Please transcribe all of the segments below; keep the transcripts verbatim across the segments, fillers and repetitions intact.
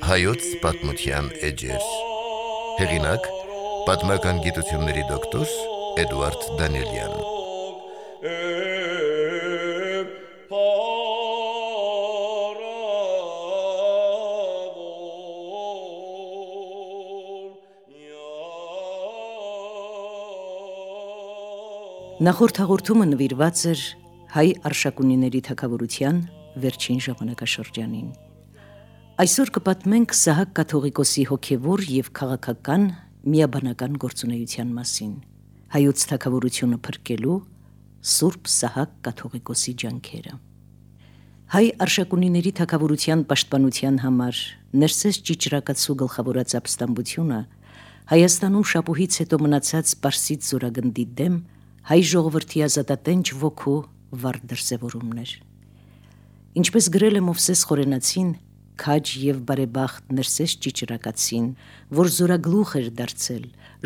Հայոց պատմության էջեր։ Հեղինակ՝ պատմական գիտությունների դոկտոր Էդուարդ Դանիելյան։ Նախորդ հաղորդումը նվիրված էր հայ արշակունիների թագավորության վերջին ժամանակաշրջանին։ Այսօր կպատմենք Սահակ կաթողիկոսի հոգևոր և քաղաքական միաբանական գործունեության մասին, հայոց թագավորությունը փրկելու Սուրբ Սահակ կաթողիկոսի ջանքերը։ Հայ արշակունիների թագավորության պաշտպանության համար Ներսես Ճիճրակացու գլխավորած ապստամբությունը Հայաստանում շապուհից հետո մնացած Պարսից զորագնդի դեմ հայ ժողովրդի ազատատենչ ոգու վառ դրսևորումն էր։ Ինչպես գրել է Մովսես Խորենացին, քաջ և բարեբախտ Ներսես Ճիճրակացին, որ զորագլուխ էր դարձել,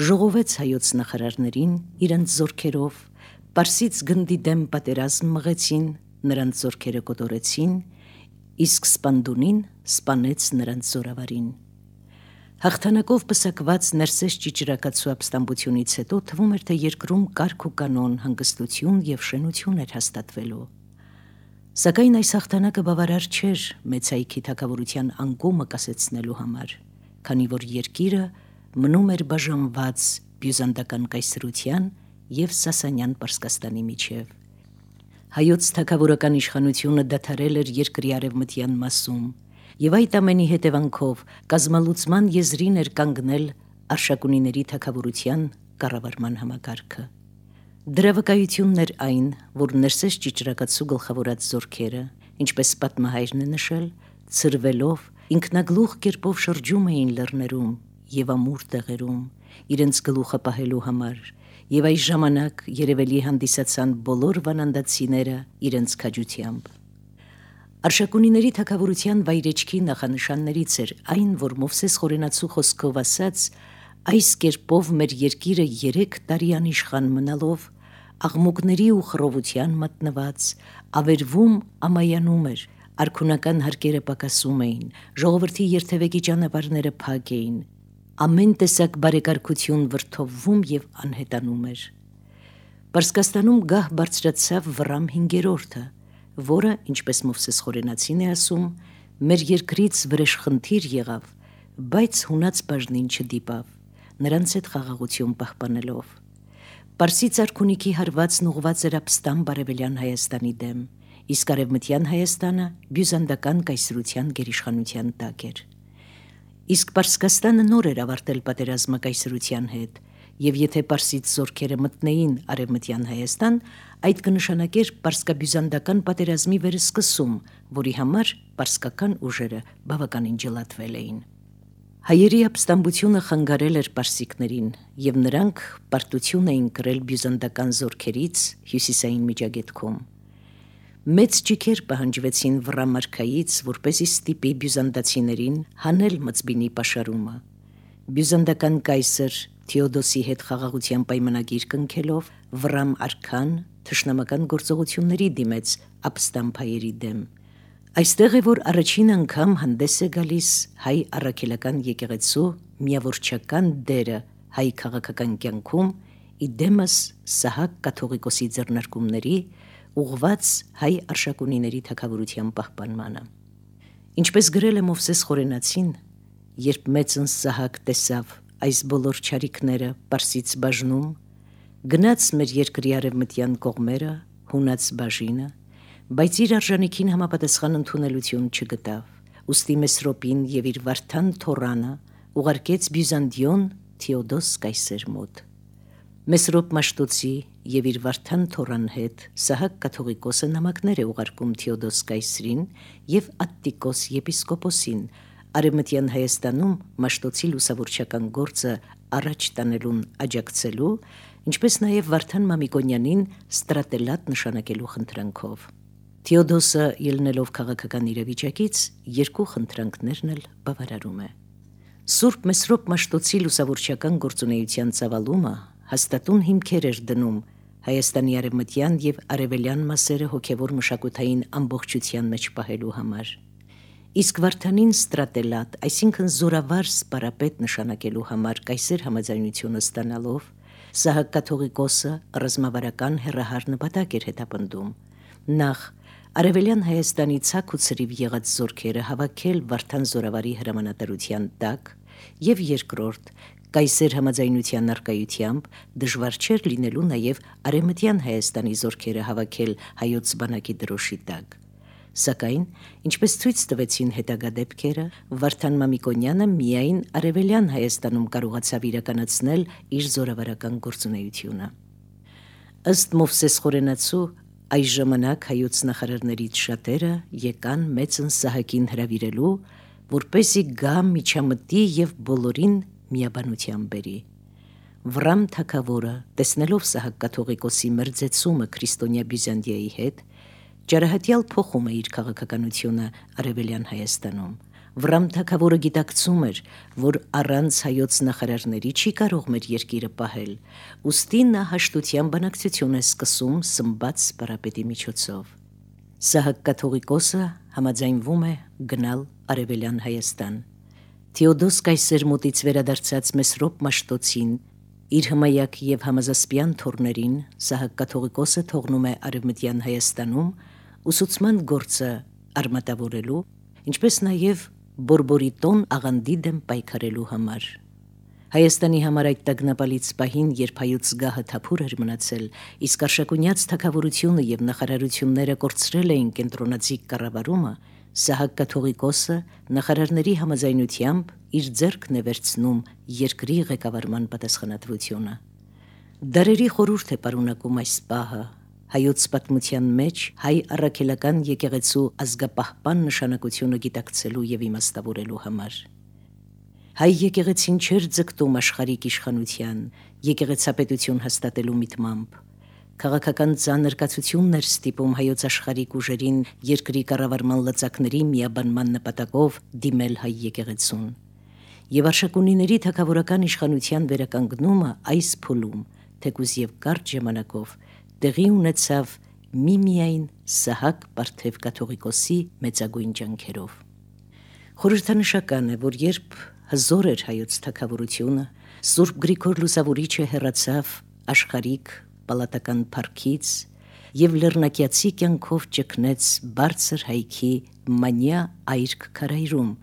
ժողովեց հայոց նախարարներին իրենց զորքերով, Պարսից գնդի դեմ պատերազմ մղեցին, նրանց զորքերը կոտորեցին, իսկ սպանդունին սպանեց նրանց զորավարին։ Հաղթանակով պսակված Ներսես Ճիճրակացու ապստամբությունից հետո թվում էր, թե երկրում կարգ ու կանոն, հանգստություն և շենություն էր հաստատվելու։ Սակայն այս հաղթանակը բավարար չէր մեծ հայքի թագավորության անկումը կասեցնելու համար, քանի որ երկիրը մնում էր բաժանված բյուզանդական կայսրության և Սասանյան Պարսկաստանի միջև։ Հայոց թագավորական իշխանությունը դադարել էր երկրի արևմտյան մասում, և այդ ամենի հետևանքով կազմալուծման եզրին էր կանգնել արշակունիների թագավորության կառավարման համակարգը։ Դրա վկայությունն էր այն, որ Ներսես Ճիճրակացու գլխավորած զորքերը, ինչպես պատմահայրն է նշել, ցրվելով ինքնագլուխ կերպով շրջում էին լեռներում և ամուր տեղերում, իրենց գլուխը պահելու համար, և այս ժամանակ երևելի հանդիսացան բոլոր վանանդացիները իրենց քաջությամբ։ Արշակունիների թագավորության վայրեջքի նախանշաններից էր այն, որ Մովսես Խորենացու խոսքով ասած, այս կերպով մեր երկիրը երեք տարի անիշխան մնալով, աղմուկների ու խռովության մատնված, ավերվում ամայանում էր, արքունական հարկերը պակասում էին, ժողովրդի երթևեկի ճանապարհները փակ էին, ամեն տեսակ բարեկարգություն վրդովվում և անհետանում էր։ Պարսկաստանում գահ բարձրացավ Վռամ հինգերորդը, որը, ինչպես Մովսես Խորենացին է ասում, մեր երկրից վրեժխնդիր եղավ, բայց հունած բաժնին չդիպավ, նրանց հետ խաղաղություն պահպանելով։ Պարսից արքունիքի հարվածն ուղղված էր ապստամբ արևելյան Հայաստանի դեմ, իսկ արևմտյան Հայաստանը բյուզանդական կայսրության գերիշխանության տակ էր։ Իսկ Պարսկաստանը նոր էր ավարտել պատերազմը կայսրության հետ, և եթե պարսից զորքերը մտնեին արևմտյան Հայաստան, այդ կնշանակեր պարսկաբյուզանդական պատերազմի վերսկսում, որի համար պարսկական ուժերը բավականին ջլատվել էին։ Հայերի ապստամբությունը խանգարել էր պարսիկներին, և նրանք պարտություն էին կրել բյուզանդական զորքերից հյուսիսային Միջագետքում։ Մեծ ճիգեր պահանջվեցին Վռամ արքայից, որպեսզի ստիպի բյուզանդացիներին հանել Մծբինի պաշարումը։ Բյուզանդական կայսր Թեոդոսի հետ խաղաղության պայմանագիր կնքելով, Վռամ արքան թշնամական գործողությունների դիմեց ապստամբ հայերի դեմ։ Այստեղ է, որ առաջին անգամ հանդես է գալիս հայ առաքելական եկեղեցու միավորչական դերը հայ քաղաքական կյանքում, ի դեմս Սահակ կաթողիկոսի ձեռնարկումների, ուղղված հայ արշակունիների թագավորության պահպանմանը։ Ինչպես գրել է Մովսես Խորենացին, երբ մեծն Սահակ տեսավ այս բոլոր չարիքները Պարսից բաժնում, գնաց մեր երկրի արևմտյան կողմերը, հունած բաժինը, բայց իր արժանիքին համապատասխան ընդունելություն չգտավ, ուստի Մեսրոպին և իր վարդան թոռանը ուղարկեց Բյուզանդիոն Թեոդոս կայսեր մոտ։ Մեսրոպ Մաշտոցի և իր վարդան թոռան հետ Սահակ կաթողիկոսը նամակներ է ուղարկում Թեոդոս կայսրին և Ատտիկոս եպիսկոպոսին, արևմտյան Հայաստանում Մաշտոցի լուսավորչական գործը առաջ տանելուն աջակցելու, ինչպես նաև Վարդան Մամիկոնյանին ստրատելատ նշանակելու խնդրանքով։ Թեոդոսը, ելնելով քաղաքական իրավիճակից, երկու խնդրանքներն էլ բավարարում է։ Սուրբ Մեսրոպ Մաշտոցի լուսավորչական գործունեության ծավալումը հաստատուն հիմքեր էր դնում Հայաստանի արևմտյան և արևելյան մասերը հոգևոր մշակութային ամբողջության մեջ պահելու համար։ Իսկ Վարդանին ստրատելատ, այսինքն զորավար սպարապետ նշանակելու համար կայսեր համաձայնությունը ստանալով, Սահակ կաթողիկոսը ռազմավարական հեռահար նպատակ էր հետապնդում։ Նախ Արևելյան Հայաստանի ցակ ու ցրիվ եղած զորքերը հավաքել Վարդան զորավարի հրամանատարության տակ, եւ երկրորդ կայսեր համաձայնության առկայությամբ դժվար չէր լինելու նաև Արևմտյան Հայաստանի զորքերը հավաքել հայոց բանակի դրոշի տակ։ Սակայն, ինչպես ցույց տվեցին հետագա դեպքերը, Վարդան Մամիկոնյանը միայն Արևելյան Հայաստանում կարողացավ իրականացնել իր զորավարական գործունեությունը։ Ըստ Մովսես Խորենացու, այս ժամանակ հայոց նախարարներից շատերը եկան մեծն Սահակին հրավիրելու, որպեսզի գա միջամտի եւ բոլորին միաբանության բերի։ Վրամ թագավորը, տեսնելով Սահակ կաթողիկոսի մերձեցումը քրիստոնյա Բյուզանդիայի հետ, ճարահատյալ փոխում է իր քաղաքականությունը Արևելյան Հայաստանում։ Վրամ թագավորը գիտակցում էր, որ առանց հայոց նախարարների չի կարող մեր երկիրը պահել, ուստի նա հաշտության բանակցություն է սկսում Սմբաց սպարապետի միջոցով։ Սահակ կաթողիկոսը համաձայնվում է գնալ Արևելյան Հայաստան։ Թեոդոս կայսեր մոտից վերադարձած Մեսրոպ Մաշտոցին, իր հմայակ եւ համազասպյան թորներին Սահակ կաթողիկոսը թողնում է Արևմտյան Հայաստանում ուսուցման գործը արմատավորելու, ինչպես նաև Բորբորիտոն աղանդի դեմ պայքարելու համար։ Հայաստանի համար այդ տագնապալից պահին, երբ հայոց գահը թափուր էր մնացել, իսկ Արշակունյաց թագավորությունը եւ նախարարությունները կորցրել էին կենտրոնացիկ կառավարումը, Սահակ կաթողիկոսը նախարարների համաձայնությամբ իր ձեռքն է վերցնում երկրի ղեկավարման պատասխանատվությունը։ Դարերի խորհուրդ է պարունակում այս պահը, հայոց պատմության մեջ հայ առաքելական եկեղեցու ազգապահպան նշանակությունը գիտակցելու եւ իմաստավորելու համար։ Հայ եկեղեցին չէր ձգտում աշխարհիկ իշխանության, եկեղեցապետություն հաստատելու միտմամբ։ Քաղաքական ծանրկացություններ ստիպում հայոց աշխարհիկ ուժերին երկրի կառավարման լծակների միաբանման նպատակով դիմել հայ եկեղեցուն։ Եվ Արշակունիների թագավորական իշխանության վերականգնումը այս փուլում, թեկուզ եւ կարճ ժամանակով, տեղի ունեցավ միմիայն Սահակ Պարթև կաթողիկոսի մեծագույն ջանքերով։ Խորհրդանշական է, որ երբ հզոր էր հայոց թագավորությունը, Սուրբ Գրիգոր Լուսավորիչը հեռացավ աշխարհիկ պալատական փառքից եւ լեռնակյացի կյանքով ճգնեց բարձր հայքի մանյա այրք քարայրում,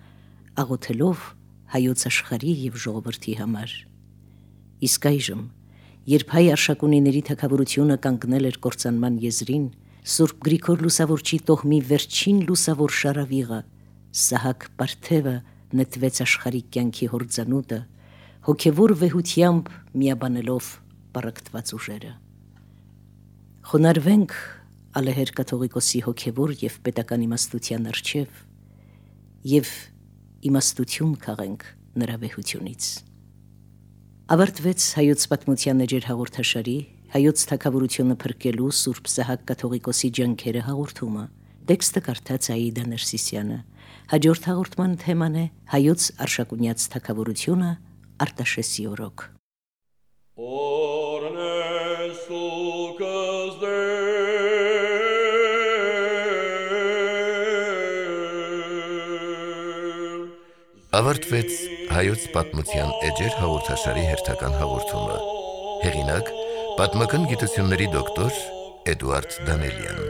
աղոթելով հայոց աշխարհի եւ ժողովրդի համար։ Իսկ այժմ, երբ հայ Արշակունիների թագավորությունը կանգնել էր կործանման եզրին, Սուրբ Գրիգոր Լուսավորչի տոհմի վերջին լուսավոր շարավիղը, Սահակ Պարթևը նետվեց աշխարհիկ կյանքի հորձանուտը, հոգևոր վեհությամբ միաբանելով պառակտված ուժերը։ Խոնարհվենք ալեհեր կաթողիկոսի հոգևոր եւ պետական իմաստության առջև եւ իմաստություն քաղենք նրա վեհությունից։ Ավարտվեց հայոց պատմության էջեր հաղորդաշարի հայոց թագավորությունը փրկելու Սուրբ Սահակ կաթողիկոսի ջանքերը հաղորդումը։ Տեքստը կարդաց Աիդա Ներսիսյանը։ Հաջորդ հաղորդման թեման է հայոց Արշակունյաց թագավորությունը Արտաշեսի օրոք։ Ավարտվեց հայոց պատմության էջեր հաղորդաշարի հերթական հաղորդումը։ Հեղինակ՝ պատմական գիտությունների դոկտոր Էդուարդ Դանելյան։